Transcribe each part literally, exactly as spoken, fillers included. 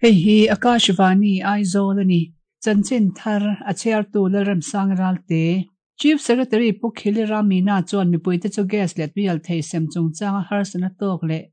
Hei hi Akashvani Aizawl a ni. Chanchin thar a chhiartu Lalremsang Ralte. Chief Secretary Pu Khilira Meena chuan mipuite chu gas leh tuialthei sem chungchanga harsatna tawk leh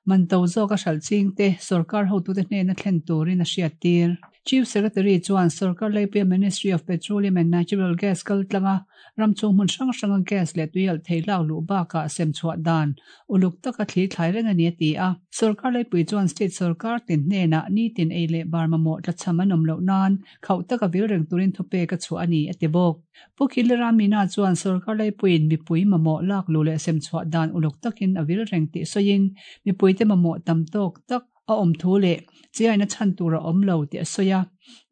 man to zawk a hralh chingte sorkar hotute hnena thlen turin a hriat tir. Chief Secretary chuan sorkar laipuia Ministry of Petroleum and Natural Gas kal tlanga ram chung hmun hrang hranga gas leh tuialthei lak luh bakah sem chhuah dan uluk taka thli thlai reng a ni a ti a. Sorkar laipui chuan state sorkar tin hnenah nitin ei leh bar mamawh tlachham an awm loh nan khauh taka vil reng turin thupek a chhuah a ni a ti bawk. Pu Khilira Meena chuan sorkar laipuiin mipui mamawh lak luh leh sem chhuah dan uluk takin a vil reng tih sawiin mipuite mamawh tam tawk tak a awm thu leh chiaina chhan tur a awm lo tih a sawi a.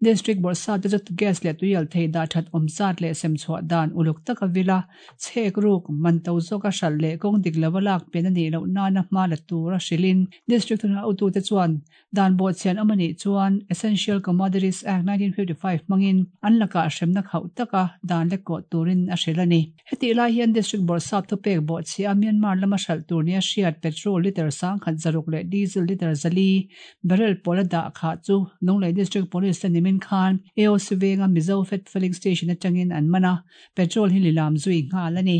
District bawrhsa te chu gas leh tuialthei dah that awm zat leh sem chhuah dan uluk taka vila chhek ruk man to zawk a hralh leh kawng dik lova lak pen a nih loh nana hma la tur a hrilhin district thunah hotute chuan dan bawhchhian awm a nih chuan Essential Commodities Act nineteen fifty-five hmangin an lakah hremna khauh taka dan lek kawh turin a hrilh a ni. Heti lai hian district bawrhsap thupek bawhchhia Myanmar lama hralh tur nia hriat petrol liter sang khat zaruk leh diesel liter zali barrel pawla dah kha chu Lunglei District Police te nimin khan A O C venga Mizo Fed Filling Station atangin an mana petrol hi lilam zui nghal a ni.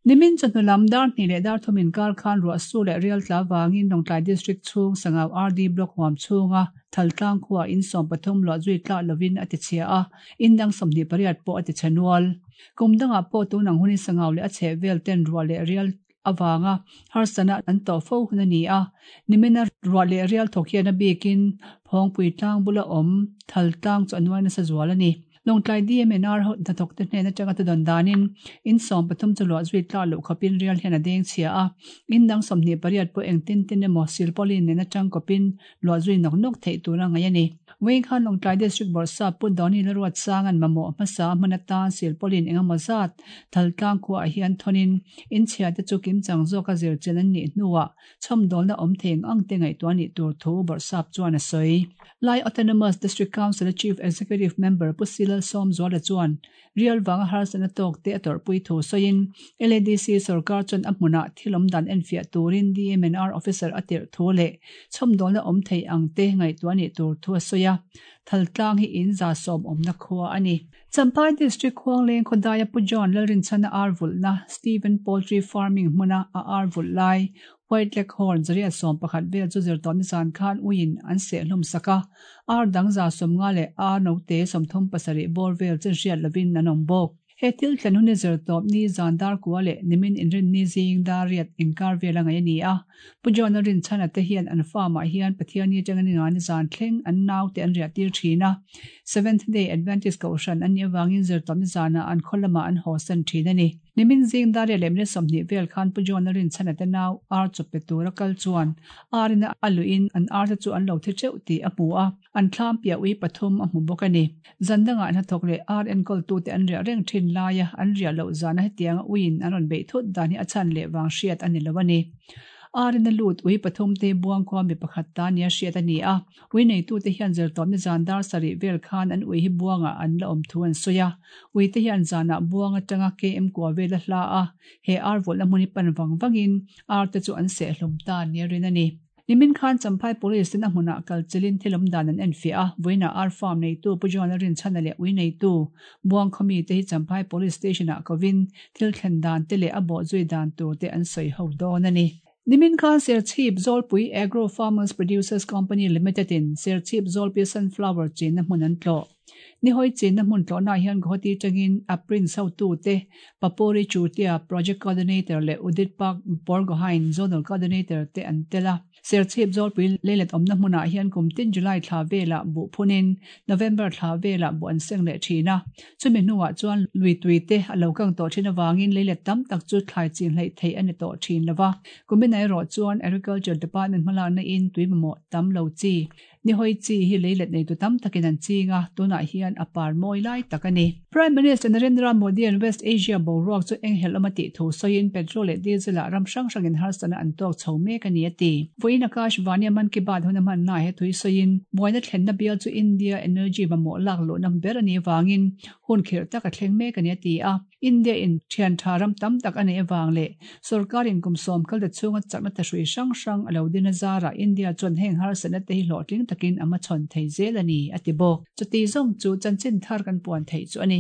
Nimin chawhnu lam dar hnih leh dar thumin kar khan ruah su leh rial tla wangin Lawngtlai District chhung Sangau R D Block huam chhunga thaltlang khuwa in sawm pathum luah zui tla lovin a ti chhia a, indang sawmhnih pariat pawh a ti chhenual. Kum dangah pawh tunang hunin Sangau leh a chheh vel ten ruah leh rial awanga harsana an tawh fo hun a ni a. Nimina ruah leh rial thawk hian a bikin phawngpui tlang bula awm thaltlang chu a nuai nasa zual a ni. Lawngtlai D M N R ho hnathawk te hnen atanga ta dawn danin in sawm pathum chu luah zui tla loh khawpin rial hian a deng chhia a. Indang sawmhnih pariat pawh eng tin tin emaw silpaulin nen atang kawpin luah zui nawk nawk theih tur a ngai a ni. Wei khan Lawngtlai District bawrhsa pu Doni Laruat sang an mamawh hmasa hmun atan silpaulin engemaw zat thaltlang khuah hian thonin in chhia te chu kim chang zawk a zir chen an nih hnuah chhawmdawlna awm theng ang te ngaihtuah nih tur thu bawrhsap chuan a sawi. Lai Autonomous District Council Chief Executive Member Pu Silal Som Zuala chuan rial wanga harsatna tawk te a tawrhpui thu sawiin L A D C sorkar chuan a hmunah thilawm dan enfiah turin D M N R officer a tirh thu leh chhawmdawlna awm thei ang te ngaihtuah nih tur thu a sawi a. Thaltlang hi in za sawm awmna khua a ni. Champhai District Khuangleng Khodaya Pu John Lalrinchhana ar vulhna Stephen Poultry Farming hmuna a ar vulh lai White Leghorn zaria sawm pakhat vel chu zir tawh ni zan khan uiin an seh hlawm sak a. Ar dang za sawm nga leh ar note sawmthum pasarih bawr vel chen hriat lovin an awm bawk. He thil thlen hun ni zir tawp ni zan dar kua leh nimin inrin ni zing dar riat inkar vel a ngai a ni a. Pu John Lalrinchhana te hian an farm ah hian Pathiani atanga ni nga ni zan thleng an nau te an riah tir thin a. Seventh Day Adventist kohhran an nih awangin zir tawp ni zanah an khaw lamah an haw san thin a ni. Nimin zing dar riat leh minute sawmhnih vel khan Pu John Lalrinchhana te nau ar chawp pe tur a kal chuan arina a luin an ar te chu an lo thi teuh tih a hmu a. An thlam piah ui pathum a hmu bawk a ni. Zandangah hnathawk leh ar enkawl tu te an riah reng thin laia an riah loh zana hetianga uiin an rawn beih thut dan hi a chhan leh wang hriat a ni lo a ni. Arina lut ui pathum te buang khuwa mi pakhat ta nia hriat a ni a. Ui nei tu te hian zir tawp ni zan dar sarih vel khan an ui hi buanga an la awm thu an sawi a. Ui te hian zanah buang atanga K M kua vel a hla a. He ar vulhna hmun hi pan wang wangin ar te chu an seh hlawm ta nia rin a ni. Nimin khan Champhai Police ten a hmunah kal chilin thilawm dan an enfiah a. Vawiinah ar farm nei tu Pu John Lalrinchhana leh ui nei tu buang khawmi te hi Champhai Police Station ah kovin thil thlen dan te leh a bawh zui dan tur te an sawi ho dawn a ni. Nimin khan Serchhip Zawlpui Agro Farmers Producers Company Limited in Serchhip Zawlpui Sunflower chin na hmun an tlawh. Ni hoi chin na hmun tlawh na hian Guwahati tangin a prince ho tu te Papori Chutia Project Coordinator leh Udit Park Borgohain Zonal Coordinator te an tela. Serchhip Zawlpui leilet awmna hmunah hian kum tin July thla vela buh phunin November thla vela buh an seng leh thin a. Chumi hnuah chuan lui tui te a lo kang tawh thin awangin leilet tam tak chu thlai chin hleih theih a ni tawh thin lova. Kumin erawh chuan Agriculture Department hmalakna in tui mamawh tam lo chi. Ni hoi chi hi leilet nei tu tam takin an chinga tunah hian a par mawi lai tak a ni. Prime Minister Narendra Modi and West Asia boruak chu enghelh awm a tih thu sawiin petrol leh diesel ah ram hrang hrangin harsatna an tawk chho mek a ni a ti. Vawiin Akash Vani Mann Ki Baat hun a hman na he thui sawiin buaina thlenna bial chu India Energy mamawh lak luh na ber a ni wangin hun khirh tak a thleng mek a ni a ti a. India in thian tha ram tam tak ane awang le sarkarin kum som kal da chunga chakna ta hrui hrang hrang alo din azara India chuan heng har sana te hi hlawhtling takin ama chon thei zel ani ati bawk. Chuti zawng chu chanchin thar kan puan thei chu ani.